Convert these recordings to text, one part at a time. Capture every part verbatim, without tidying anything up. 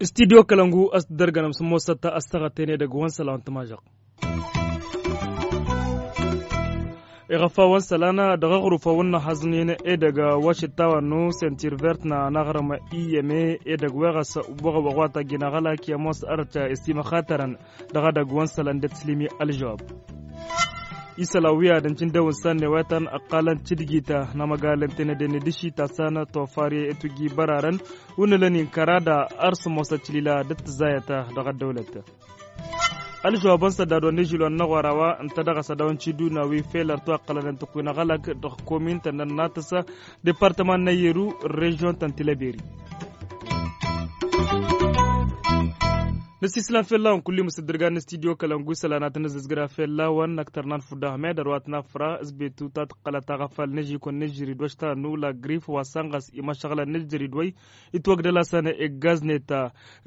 Studyo kălăngu a-s t-dărgănăm s-ămoosăt a-s tăɣăten edăgg wa n-isălan tămažăɣt. Iɣăfawăn isălan dăɣ-aɣrufawăn n-ahăẓnen edăgg wa šǝttawăn n-săntir vert n-aɣrǝm i-yeme edăgg weɣăs. Wăɣ-wăɣ wa taggen aɣălak i-ămoos ărăt i-simăxatărăn dăɣ-edăgg wa n-isălan d-ătslǝmi ălžăwab. Isălan wi ad-ǝncǝn dăw-nǝssan n-ewetăn ăqqalăn tǝdgit n-amăgal ǝntănăden d-ašita s-an tofar i-tugi bărarăn wǝnnǝlăn-in kăra da ar s-ămoosăt tilila d-ăttăzzayăt dăɣ-ăddăwlăt. Ălžăwabăn săddadwăn n-ažilwăn n-aɣora wa ǝnta dăɣ-asădawăn tiduna wi fel ărtu ăqqălăn n-tăkkuy n-aɣălak dăɣ-komin tănnăn n-atăsa departăman n-ayeru režion tăn-tilăberi. Năsislan fell-a-wăn kulli măsăddărgan n-studyo kălăngu isălan ad-tăn-ăzzăzgra fell-a-wăn năktărnan fudda ahmed ărwat n-afra s-betu ta tǝqqălăt aɣăfal n-ažikun n-ažjăridwăj ta n-ula grif wa sănɣăs imăšăɣlăn n-ažjăridwăj. Itwăgdăl-asăn iggaznet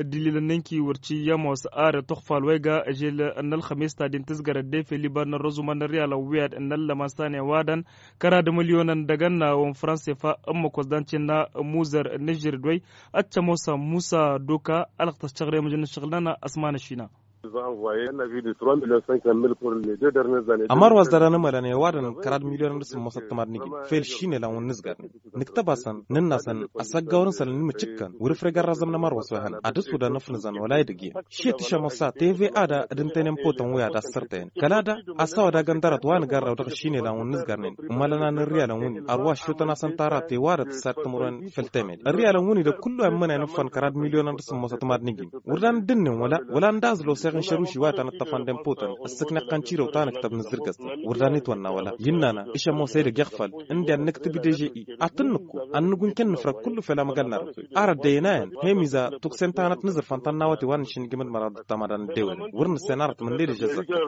ăddililăn n-inki wăr t-iyyăm wa s-arăt uxfal wa iga ažel n-ălxămes ta din tǝzgărăt defe liban n-ărrăzumăn n-ărriyalăn wi ad-ǝnnăllămăn s-an iwadăn kăra d-mălyonăn dăgg-ănnawăn fransefa. Ǝmmǝk wa s-dan-tinna muzăr n-ažjăr d-wăy ad-t-ămoosăn musa duka ălɣ tăššăɣre măjăn n-ašăɣlăn ăsman ăšina. Ămăr wa s-dăr-anămălăn i-ăwadăn kăra d-milyon n-asǝmmosăt tămad n-igǝn fel šinelăn wǝnnǝzgărnen nǝktăb-asăn nǝnn'-asăn asăggawăr n-isălan n-imǝcǝkkăn wăr ǝfreg ărrazăm n-ămăr wa s-wehănăn ad-ăsudăn ăfnǝzăn wăla idăgg-en. Šiyăt išămosa teve a da d-ǝntănen poton wi ad-assărtăyăn kăla da a-s a-wa dagăn dăr-ătwa nǝgarraw dăɣ-ašinelăn wǝnnǝzgărnen ǝmmălăn anǝrriyalăn wǝnni ărwa ăššutăn-asăn tara tewarăt s-ad-tǝmrǝwen făll-temed ărriyalăn wǝnni dăɣ-kullu wa ǝmmănen ǝffăn kăra d-milyon n-ad-sǝmmosăt mad-nǝjǝn wăr dan dd-ǝnnen wăla wăla ǝnda a ăzlosăɣ n-šăruši wa tăn-ǝṭṭăfăn d-enpotăn ăssǝknăɣ-tăn cirăw ta nǝktăb nǝzzǝrgăs-tăn wăr dan itwănna wăla. Innă-năɣ išămoos edăgg iɣfal ǝndiyan nǝktǝb deže-i ad-tăn-nǝkku ad-nǝgg wǝnken nǝfrăg kullu fel amăgal n-arăt wi arăt d-ăynayăn hemiza tuksen ta hanăt-nǝzǝrfăn tannawăte wa n-išǝnnǝjǝm d-măraḍ d-tamădan ăddewănen wăr nǝssen arăt mǝnne deže ăzzăkkăr.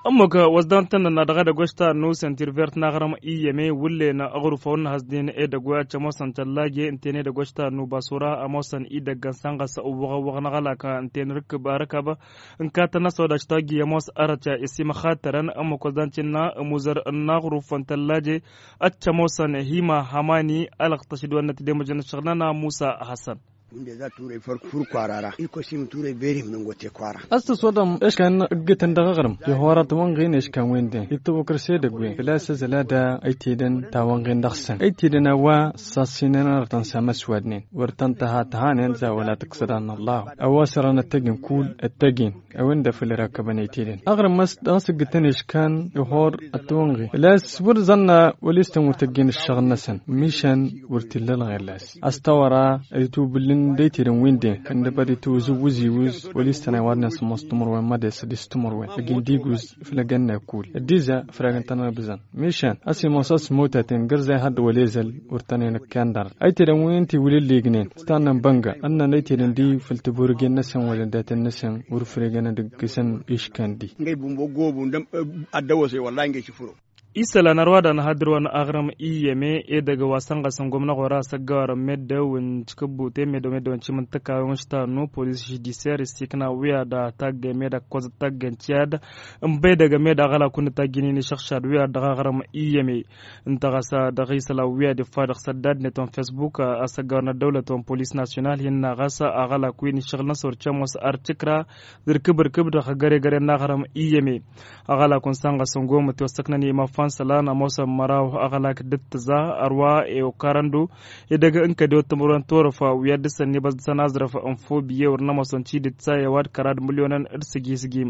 Ămmăk wa s-dan-tăn-nănna dăɣ-edăgg wa s-ta n-nusăn tirvert n-aɣrǝm iyyăme wǝllen aɣrǝfăw n-năhăznen edăgg wa ad-cămoosăn tăllaje ǝnten edăgg wa s-ta n-nubasura ămoosăn idăgg ănsan ɣas ăwwăɣ-ăwwăɣ n-aɣălak ǝnten rǝkkǝb arǝkab ǝnkatăn-as wa d-ašta agi ămoos arăt i-simăxatărăn. Ămmăk wa s-dan-tinna ămuzăr n-aɣrǝf n-tăllaje ad-cămoosăn hima hamani alăɣtăš d-wănnăt d-emăjăn ăššăɣǝl-nănăɣ musa hasăn. Wǝnde za turăy făr fur kwara ra ilkosim turăy berim nǝngote kwara. Ăstăswăḍăm eškan ǝggǝtăn dăɣ-aɣrǝm ihorăt wănɣin eškan wende ităwăkăr s-edăgg wen făl-a-s ăzăl ad-ăytedăn tawănɣin dăɣ-săn ăytedăn a-wa sassinăn arătăn s-amăswadnen wăr tăn-tăha tăhanen za wăla tǝksăd a n-ăllahu a-wa sărăn ăttăgin kull ăttăgin. A-wen-dăɣ făll-irakăbăn ăytedăn aɣrǝm a-s dăɣ-s ǝggǝtăn eškan ihor ăttăwănɣin făl-a-s wăr zănna wăl' istăn wăr tăjjin ǝššăɣǝl-năsăn mišan wăr t-illa ălɣer las. Astăwăra itubǝllǝn d-ăytedăn wi n-den făll-năbăd itwǝzǝwwǝz iwǝz wăl' istăn a iwadnen s-ămoos timǝrwen mădes d-istǝmǝrwen ăgin d-iguz făll-egănna kull ăddiza făll-egăn tăn-ăbzăn. Mišan a-s imoos a-s imotaten gărzay had-wăl-ezăl wăr tăn-enăkkan dăr-ăytedăn wi n-tiwǝlǝllignen s-tannăn bănga ănnăn ăytedăn d-făll-tiburigen-năsăn wăla ăddaten-năsăn wăr-făl egăn ad-ǝggǝsăn iškan di. Ngăy bumbo gobu n-dăm ăddăwăse wăllah ngăy cǝfuro. Isălan ărwa da n-ahădǝr wa n-aɣrǝm iyyăme edăgg wa sănɣăsăn gomna ɣur-a s-ăggawărăn meddǝw n-tikǝbbute meddǝw meddǝw n-timǝntǝka wi n-ǝštannu polis žudisyer issikna wi ad-a taggăy meddǝw ăkkoẓăt taggăy n-tiyad n-băydăgg meddǝw aɣălakun n-tajjǝnin išăɣšad wi ad-dăɣ-aɣrǝm iyyăme. Ǝnta ɣas dăɣ-isălan wi ad-ifa dăɣ-săddadnet wa n-fesbuk a-s ăggawărăn ăddăwlăt wa n-polis nasyonal hin-na ɣas aɣălak wi n-iššăɣǝl-năsăn wăr cămoos ar tikra d-irkǝb-irkǝb dăɣ-găre-găre n-aɣrǝm iyyăme. Aɣălak wa n-sănɣăsăn gomăt i-osăknăn i-imafan isălan ămoosăn măraw aɣălak d-ǝttǝza ărwa i-okarăndu edăgg n-kădew d-timǝrwen torăf wi ad-dăr-săn n-ibăẓ dăɣ-săn aẓrăf n-fobiye wăr n-ămoosăn tidǝt sa i-ăwadǝm kăra d-mǝlyonăn d-sǝgi-sǝgim.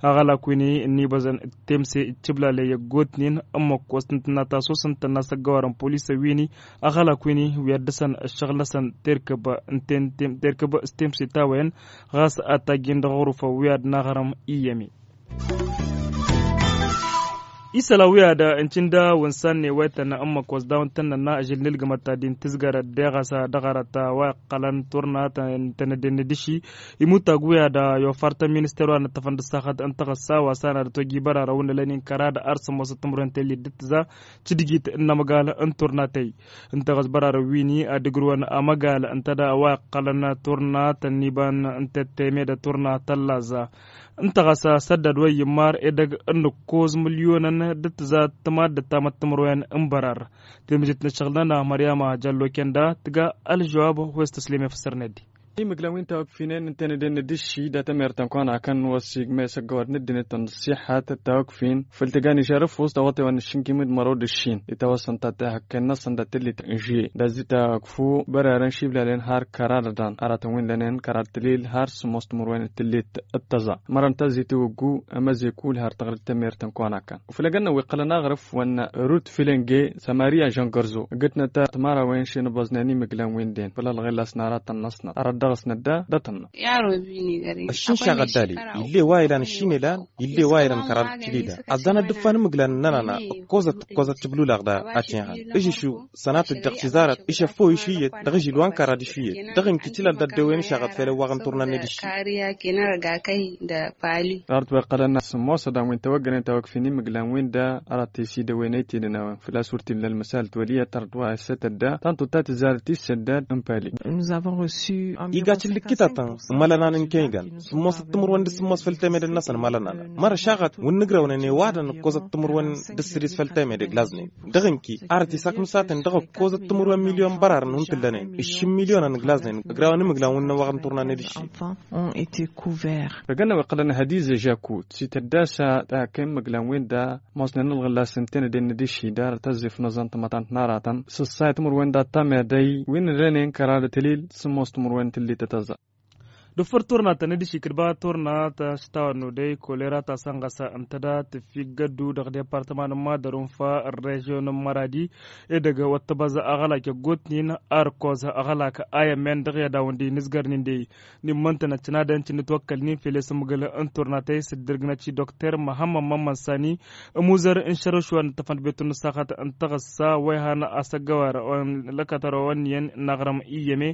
Aɣălak wi n-ibăẓăn d-temse d-tiblale i-ăggootnen ǝmmǝk wa s-tǝntǝnna tasusăn tănna s-ăggăwarăn polisăn wi n-aɣălak wi n-wi ad-dăr-săn ǝššăɣǝl-năsăn terkăb n-ten terkăb s-temse tawăyăn ɣas ad-tajjin dăɣ-aɣrǝfăn wi ad-naɣrăm iyyăme. Isălan wi ad-ǝncǝn d-awǝnsan n-ewăytăn n-măkos dawăn-tăn-nănna ažil n-ilgǝmăt ta din tǝzgărăt deɣ a-s dăɣ-arăt wa iqqălăn turna tăn-dd-ennădǝši. Imutag wi ad-yofar ta n-minister wa n-ǝṭṭăfăn d-ăssaxăt n-taɣǝssa wa s-an ad-ătwăjji bărarăn wǝnnălăn-in kăraḍ ar sămmosăt timǝrwen tellit d-tǝza. Cǝdǝjit n-amăgal n-turna tey ǝnta ɣas bărarăn wi-ni ad-ǝgrǝwăn amăgal ǝnta d-a-wa iqqălăn turna tăn-iba n-tătteme d-turna tăllaẓ. Ǝnta ɣas asăddad wa iyyǝmmar edăgg n-ǝkkoẓ mǝlyonăn d-tǝza d-tămaddăt tamăttămărwen n-bărar. Tǝmǝjǝt n-ǝššăɣǝl-nănăɣ măryama jăllo kenda tǝga ălžăwab. Wes tăslem efăssărnet-di. Imǝglan wi n-tawăkfinen ǝntănăden d-ǝšši dat-ămertăn kăwăn-akăn wăssigme s-ăggăwăd n-ăddinăt n-ăṣṣiḥat d-tawăkfin făl tǝgan išarăf wăs tawătewăn n-aššǝnkim d-măraw d-ǝššin. Itawăsăn ta tehăkken-năsăn dat-tǝllit n-žuye d-azi tawăkfu bărarăn šiblalăn har kăraḍăḍan aratăn wi n-lănen kăraḍ tǝlil har sǝmmos timǝrwen d-tǝllit d-tăẓa. Mărăn ta zi tiwǝggu ămăzek wǝl har tăɣrǝd tămertăn kăwăn-akăn uflăgăn n-wi qqălăn aɣrǝf wănna rut filenge. Samariya žăngărzo gǝtnăt tămărawen šinăbăẓnen imǝglan wi n-den făll-ălɣel a-s n-aratăn-năsnăt arăt dăɣ-s nădda. Datăn-năt ăššin šaɣăt dali. Ill'-e wa ilan ăššin ilan ill'-e wa ilan kăraḍ d-tilila. Ăzzan ad-dd-ǝffan imǝglan n-ănana ǝkkoẓăt ǝkkoẓăt tǝblulaɣ da. Ătenhan ǝžǝšu sănatăt dăɣ-tizarăt išăffăw išuyyăt dăɣ-ažil wa n-kăraḍ išuyyăt. Dăɣ-inki tilal d-ăddewăyăn išaɣăt fel ăwwaɣ n-turna n-edǝšši. Ɣarăt wa iqqălăn sǝmmosădan wi n-tawăggănen tawăkfin imǝglan wi n-da. Ărat tesi dăwăyăn ăytedăn a-wen făl-a-s wăr t-illa ălmăsal twăliyăt ărăt wa issătădda tantu ta tǝzzarăt issăddad n-pali. Iga cǝllǝkkitatăn. Mălănan n-kăy-găn sǝmmosăt timǝrwen d-sǝmmos făll-temede-năsăn mălănan mărăšaɣăt wǝnnǝgrăwnen i-wadăn ǝkkoẓăt timǝrwen d-sǝdis făll-temede glaznen. Dăɣ-inki arăt isaknǝsaten dăɣ-ǝkkoẓăt timǝrwen milyon bărarăn wi n-tǝllănen ǝššǝm milyonăn glaznen. Ǝgrawăn imǝglan wi n-năwwăɣ n-turna n-edǝšši. Răgăn n-a-wa iqqălăn hădize žakut s-itădda s-ad-tăhăkka imǝglan wi n-da mosnen ălɣǝllas ǝnta n-ed-en n-edǝšši d-arăt ăzzif n-ăẓẓan tămătant n-aratăn s-ăṣṣayăt timǝrwen dat-tamedăy wi n-ǝlănen kăraḍăt ălil sǝmmos timǝrwen tǝllit d-tăẓa. Dăɣ-făr turna ta n-edǝšši kǝdba turna ta s-tawănnu dăy kolera ta sănɣăs ǝnta da tǝffiggăddu dăɣ-departăma n-madăr unfa ărrežyon n-măradi. Edăgg wăr t-ăbăẓ aɣălak ăggootnen arkoẓ aɣălak a i-ămmen dăɣ-i ad-awǝn-dd-inǝzgărnen dăy-i n-immăntănăt cǝnadăn cǝnnǝtwăkkălnen fel i-sǝmmǝgǝl n-turna ta i-s dd-irgnăt i-dokter măhămmăd mămmănsani. Ămuzăr n-šărăš wa n-ǝttăfăn d-betun n-ăssaxăt n-taɣǝssa wa ihan asăggăwar lăkătărăwăn iyyăn n-aɣrǝm iyyăme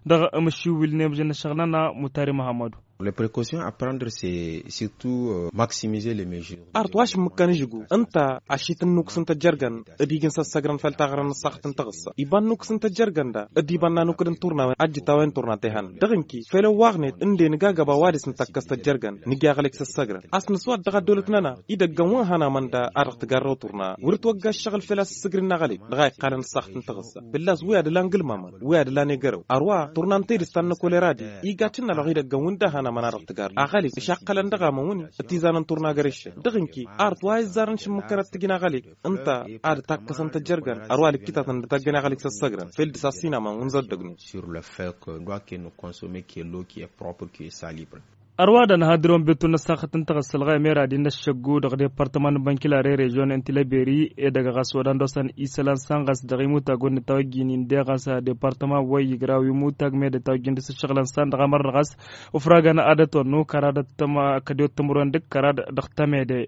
dăɣ-amǝššiwǝl n-emžăn n-ăššăɣǝl-nănăɣ mutari măhămmădu. Le precaution a prendre se surtout maximize le mežure. Arăt wa šǝmmǝkkăn ǝžǝgu ǝnta ašităn n-ukǝs n-tăjjărgăn d-ijǝn s-ăssăgrăn făll-taɣrăn n-ăssaɣt n-taɣǝssa iba n-ukǝs n-tăjjărgăn da d-iba n-anukǝd n-turnawen ajjǝt a-wen turna tehăn dăɣ-inki fel ăwwaɣnet ǝnden ǝgagăba wa dăɣ-s nǝtakkăs tăjjărgăn nǝjja aɣlek s-ăssăgrăn. A-s nǝswat dăɣ-ăddolăt-nănăɣ idăggăn wa n-hăn amănda a dăɣ-tǝgarrăw turna wăr ǝtwăgga ăššăɣǝl fel a-s ǝssǝgrin aɣlek dăɣ-a iqqalăn ăssaɣt n-taɣǝssa fălla-s wi ad-ǝlan gǝlmamăn wi ad-ǝlan egărăw. Ărwa turna n-tedǝst ta n-năkolera-di iga cǝnnalăɣ idăggăn wi n-dd-ahăn amăn a dăɣ-tǝgar aɣălek ǝšaqqălăn dăɣ-amăn wǝnni. Ătizanăn turna găreššăn dăɣ-inki arăt wa izzarăn šǝmmǝkkănăt tǝjǝn aɣălek ǝnta ad-takkăsăn tăjjărgăn ărwa lǝkkǝtatăn d-tăggăn aɣălek s-ăssăgrăn fel dăɣ-s a-s hin-amăn wǝnzăddăgnen. Sur le fait que doit que nous consommer que l'eau qui est propre qui est salibre. Ărwa da nǝha dăr-wăn betun n-ăssaxăt n-taɣǝssa ălɣayăm era-di n-ăššăggu dăɣ-departăman n-bănkilare režion n-tilăberi edăgg ɣas odan d-osăn isălan san ɣas dăɣ-imutag wăr nǝtawăjjin indeɣ ɣas departăman wa iyyǝgraw imutag med ătawăjjin dăɣ-s ǝššăɣǝlăn san dăɣ-amărnăɣ ɣas ufragăn ad-ătwănnu kăraḍăt tăm kădiwăt tǝmǝrwen dăɣ-kăraḍ dăɣ-tămede.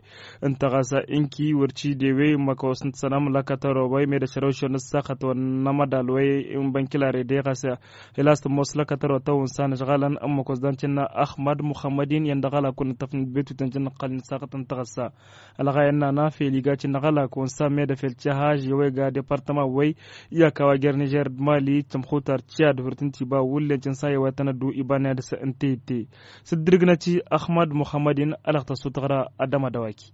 Ǝnta ɣas inki wăr t-idewe măkos n-sănăm lăkătăro wa imed ăšrăwšăw n-ăssaxăt wa n-amădal wa n-bănkilare de ɣas. Ila s-tămoos lăkătăro tăwǝnsa n-ăšɣalăn ămmăkos d-ancǝnna ăxmăd muxămmăd-in i-ăndăɣ alakul n-tăfnit betut ănjăn n-ăqqălăn ăssaxăt n-taɣǝssa. Ălɣayăn n-ana fel iga cǝnnăɣ alak wănsa medăfel căhaž i-wa iga departăma wa i-ăkk a-wa jer-nižer d-mali d-tămxutar ciyad hurǝt n-tiba wullen cǝnsa i-wa tăn-ăddu iba n-ad-dăɣ-s ǝnta itte. S-dd-irǝgnăt-i ăxmăd muxămmăd-in ălăɣ tăssu tăɣra ad-dămădăwaki.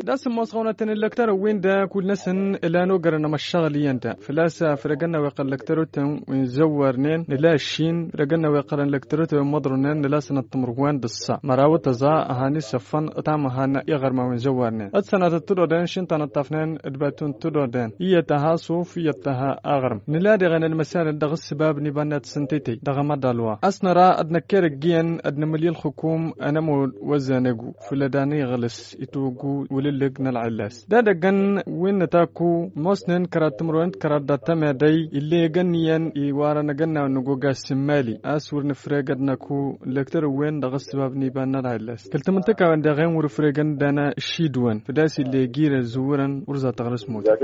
D-asǝmmos ɣăwnăt-tăn ǝllăktărăn-win-dăɣ kull-năsăn ǝlan ogărăn amăššăɣǝl iyyăn-dăɣ făl-a-s făl ăgg-ănn a-wa iqqălăn ǝllăktărotăn wi n-zăwwarnen nǝla ăššin făl ăgg-ănn a-wa iqqălăn ǝllăktărotăn wi n-imǝḍrǝwnen nǝla sănăt timǝrwen d-ǝssa măraw d-tăẓa. Ăhan isăffăn ătamăhan i-iɣărman wi n-zăwwarnen d-sănatăt tǝdoden šintănăt tafnen d-betun tǝdoden iyyăt tăha suf iyyăt tăha aɣrǝm nǝla diɣen ălmăsal dăɣ-ǝssǝbab n-iba n-ad-sǝntităy dăɣ-amăḍal wa a-s năra d-năkkerăgg iyyăn ad-nǝmǝlǝy ălxǝkum. Ănămud wa ăzzan egu făll-ad. Ăniɣlǝs itwăggu wǝlǝllǝg n-ălɣillas d-ad-ăggăn wi n-nǝtakku ămoosnen kăraḍ timǝrwen d-kăraḍ dat-tămedăy ill'-e egăn iyyăn iwarăn agănnaw n-ăggoga s-imali a-s wăr nǝfreg ad-năkku lăktăr-wen dăɣ-ăssăbab n-iba n-ălɣillas kăl-tamǝntăkawen daɣ-en wăr-ǝfregăn d-ana ǝššidǝwăn făl-a-s ill'-e eg irăzǝwwărăn wăr zatăɣrǝs mutăn.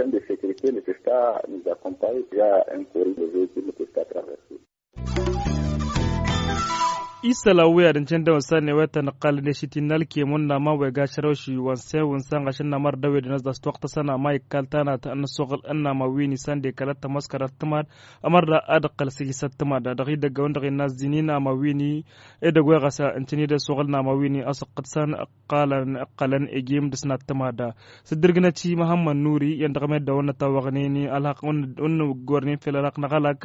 Isălan wi ad-ǝncăn dăɣ-wăssan n-ewătăn ǝqqalăn i-ašǝt innă ălkemon n-aman wa iga ašrăwši wa n-sewǝn s-anɣašăn n-amăr dăw-edăn ăzḍas tiwăqtăsăn ama ikal tanat n-ăssoɣǝl n-aman wi n-isan d-ekălăt tămoos kăraḍ tǝmad ămăr da ad-ǝqqăl s-iji s-ăttămad dăɣ-idăggăwăn dăɣ-innă ăzzinin aman wi n-edăgg wa ɣas ǝntǝn-dd ăssoɣǝl n-aman wi n-asăqqăt s-an ǝqqalăn ǝqqălăn ejim dăɣ-s n-ăttămad. S-ǝddǝrgǝnăt i-măhămmăd nuri i-ănn dăɣ-meddǝn wăr nătawăɣnen ălhăqq wăr nǝggornen fel ălhăqq n-aɣălak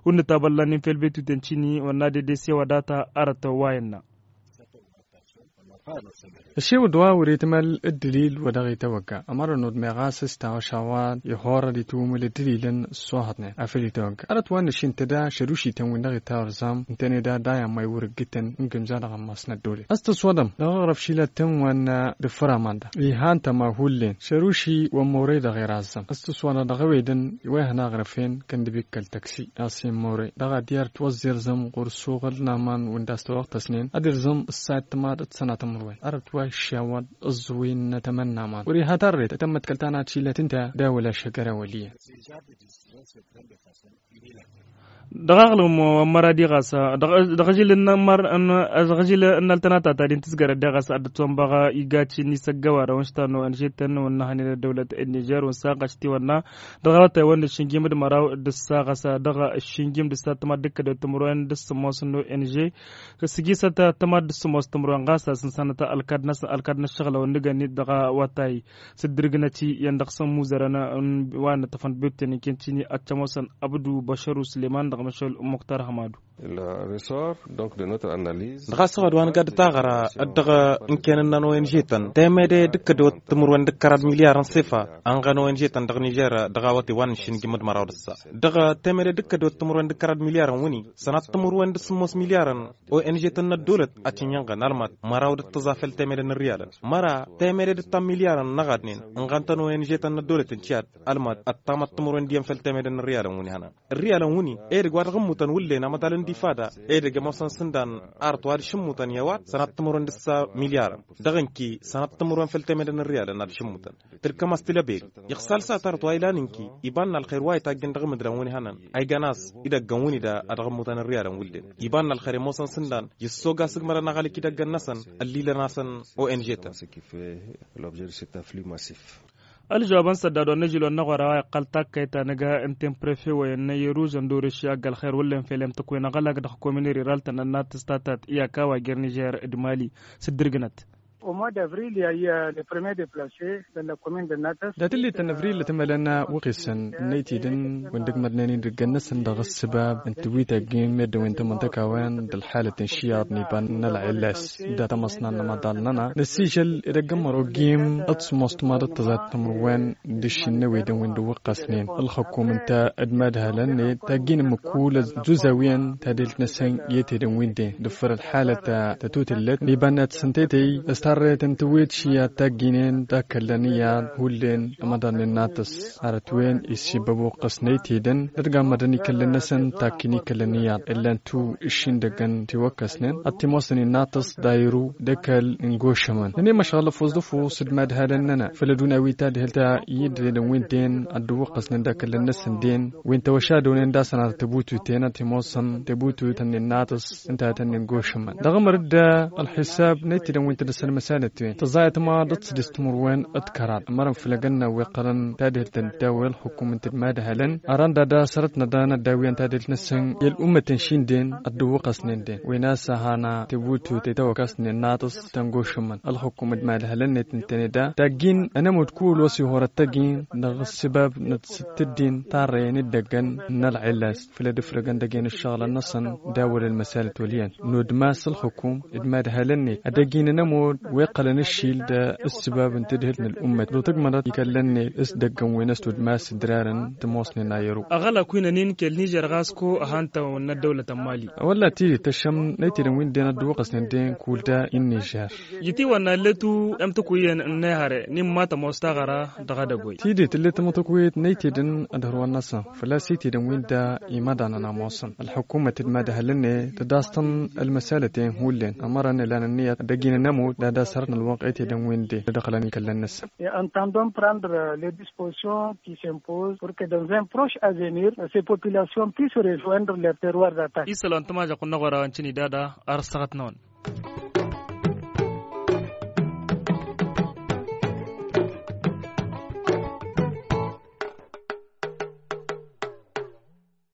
wăr nǝtabăllanen fel betuten cini wăr nadede s-e-wa data arăt wa innă. Ăššewăd wa wăr-itmăl ǝddǝlil wa dăɣ-itawăgga ămărăn wăr meɣ a-s s-taɣăšawăd ihorăd itwǝmǝl ǝddǝlilăn s-ohăḍnen afăl itawăgga arăt wa n-ašintăda šădušităn-win dăɣ-itawărzam ǝntăneda dayăn ma iwăr-ǝggǝtăn n-gǝmza dăɣ-ămmas n-ăddolăt a-s tǝswăḍăm dăɣ-aɣrăf šilăt-tăn wa n-dăffăr amanda. Ihantăm a hullen šăruši wa n-morăy dăɣ-irazzăm a-s tǝswănăɣ dăɣ-ewedăn i-wa ihăn aɣrăf-en kăndăb ikkăl tăksi a-s i-morăy dăɣ-ad-iyyăr tiwăẓẓirzăm ɣur-ăssuɣǝl n-aman wi n-dd-a-s tawăɣtăsnen ad-irzăm ǝssa i-ăttămad d-sănatăm ărwen ărăt wa iššawăḍ ǝẓẓǝwin n-atămăn n-aman wăr-iha tarret ad-tămmăḍkăl tanat šilăt ǝnta d-a wăla šăgăra wăl' iyyăn. Dăɣ-aɣlăm wa n-măra diɣas dăɣ-ažil n-alătănata ta din tǝzgărăt diɣas ad-dd-tăwănbăɣ igaci n-isăggăwarăn wa n-štan wa n-žetăn wa n-năhăn i-dăwlăt n-nižer wa n-saɣaš tiwănna dăɣ-awătay wa n-ǝššǝnjim d-măraw d-ǝssa ɣas dăɣ-ǝššǝnjim d-ǝssa tămad d-kădăw timǝrwen d-sǝmmos n-o n g s-ǝjisăt tămad d-sǝmmos timǝrwen ɣas a-s ǝnsanăt ălkad-năsăn ălkad n-ǝššăɣǝlăwăn n-ǝgăn-i dăɣ-awătay s-ǝddǝrgǝnăt-i iyyăn dăɣ-săn imuzărăn wa n-ăṭṭăfăn bebten inkent-in i-ad-tămoosăn abdu băšăru sǝleman dăɣ-măšal muktar hămadu. Dăɣ-asăɣăd wa nǝgad taɣăra d-dăɣ-ǝnken-năn o n g-tăn temede d-kădwăt timǝrwen d-kăraḍ milyarăn sefa ănɣăn o n g-tăn dăɣ-nižer dăɣ-awătay wa n-ǝššǝnjǝm d-măraw d-ǝssa dăɣ-temede d-kădwăt timǝrwen d-kăraḍ milyarăn wǝnni sănat timǝrwen d-sǝmmos milyarăn o n g-tăn n-ăddolăt ad-t-in-inɣăn almăt măraw d-ǝttǝẓa făll-temede n-ărialăn măra temede d-ǝttam milyarăn n-ăɣadnen ǝnɣăn-tăn o n g-tăn n-ăddolăt n-tiyad almăt ăttamăt timǝrwen d-iyyăn făll-temede n-ărialăn wǝnni hănan. Ărialăn wǝnni edăgg wa dăɣ-ǝmmutăn wǝllen amăḍal n-difada edăgg ămoosăn s-ǝndan arăt wa dăɣ-s ǝmmutăn i-a-wa sănat timǝrwen d-ǝssa milyarăn dăɣ-ǝnki sănat timǝrwen făll-temede n-ărialăn a dăɣ-s ǝmmutăn tǝlkăm a-s tǝlăberi iɣsal s-ad-tarăt wa ilan ǝnki iba n-alxer wa itaggen dăɣ-imǝdlan wǝnni hănan a igan a-s idăggăn wǝnni da a dăɣ-ǝmmutăn ărialăn wǝlden iba n-alxer i-ămoosăn s-ǝndan i-ăssooga s-ǝgmărăn aɣălik idăggăn-năsăn ăllilăn-asăn o n g-tăn. Ălžăwab n-săddad wa n-ažil wa n-aɣora wa iqqăl takkăyt ta nǝga ǝnta n-prefe wa innă i-ruž ăndorăš i-agg ălxer wǝllen fel i-amtăkwen aɣălak dăɣ-komin riralt n-ănnatăs ta tat i-aka wa jer-nižer d-mali s-dd-irgǝnăt. Au mois d'avril i-a le premier deplace dăɣ-la comin d-ănnatăs. Dat-ǝllităn avril ătmălăn wăɣ-isăn n-aytidăn wăndăg mădnen idăggăn-năsăn dăɣ-ăssăbab n-tǝwwit a ǝggin meddǝn wi n-tamăntăka-wen d-ălxalăt n-išiyaḍ n-iba n-ălɣillas. Dat-ămăṣnan n-amăḍal-nănăɣ năssižăl edăgg n-măro ăggim d-sămoos timaḍăt tăẓayt timǝrwen d-ǝššǝnnăwedăn wi n-dd-ǝwwăqqăsnen ălxăkkum ǝnta d-imadhalăn-net ta ǝggin ǝmmǝk kull ăzzuzawiyăn tadelt-năsăn i-ătedăn wi n-den dăffăr ălxalăt ta tătutǝllăt n-iba n-ad-săn tetăy s-tarrăyăt n-tǝwwet šiyyat ta ǝgginen d-akăllăn iyyăḍ hullen ămăḍalnen n-atăs. Arăt-wen isibbăb uqqăs n-aytedăn d-ătgammădăn ikăllăn-năsăn takkin ikăllăn iyyăḍ illan-tu ǝššindăggăn tiwăkkăsnen ad-t-imoosăn innatăs d-ayru d-ăkall n-gošămăn nănăy măšɣăl ăfuẓ d-ăfuẓ d-imadhalăn-nănăɣ făll-ăduna wi tadhǝlt ta i-dd-ledăn wi n-den ad-dd-ǝwwăqqăsnen d-akăllăn-năsăn den wi n-tawăšadăwnen d-asăn ar tăbututen ad-t-imoosăn tăbututen innatăs ǝnta a tăn-in-gošămăn dăɣ-amăr-dd ălxisab n-aytedăn wi n-tădăsăn măsalăt-wen tăẓayăt ma d-ăṭṭădis timǝrwen d-kăraḍ ămărăn făll-agănna wi ǝqqălăn tadhǝlt ta n-dd-tawăy ălxukum ǝnta d-imadhalăn aranda da sărăt n-ad-dăr-nădda wi n-tadhǝlt-năsăn i-ăl'ummăt n-išindin ad-dd-ǝwwăqqăsnen den wen a-s ahăna tebutute tawăkast n-innatăs tăn-gošămăn ălxukum d-imadhalăn-net ǝntăne da taggin ănămud kull wa s-ihorăt tăggin dăɣ-ăssăbab n-ad-sǝttǝddin tarrăyăn d-idăggăn n-ălɣillas făll-ad-ǝfrăgăn dăgg-en ǝššăɣǝlăn-năsăn d-a wăla ălmăsalăt wăl' iyyăn nudmas ălxukum d-imadhalăn-net ad-ăgg-in ănămud. Wi ǝqqălăn ǝššil d-ǝssǝbab n-tadhǝlt n-ălummet d-otǝgmănăt ikăllănnen s-idăggăn wi n-ăstudmas ǝdrarăn tămoosnen a i-ăru. Aɣălak wi n-ănin kăl-nižer ɣas ko ăhantăn n-ăddăwlăt n-mali. Wălla tidǝt tăššăm n-ăytedăn wi n-dd-en ădduɣăsnen d-en kull da-i n-nižer. Ijǝtiwăn n-allet u-emtǝkwǝyăn n-ehăre n-imma tămoos taɣăra dăɣ-edăgg wa. Tidǝt tǝllet tamătăkwăyăt n-ăytedăn ad-hărwăn-năsăn făl-a-s ăytedăn wi n-da imaḍanăn a ămoosăn ălḥukumăt d-mad-ehăllăn-e tădastăn ălmăsalăten hullen ămărăn ilan ǝnniyăt ad-ăgg-in ănămut d-ad-asărătăn ălwăqq ăytedăn wi n-dd-ădăɣlăn ikăllăn-năsăn. Entendons prendre les dispositions qui s'imposent pour que dans un proche avenir ces populations puissent rejoindre leur terroir d'attaque. Isălan tămažăɣt n-aɣora wa n-cǝnidada ar ăssăɣăt-năwăn.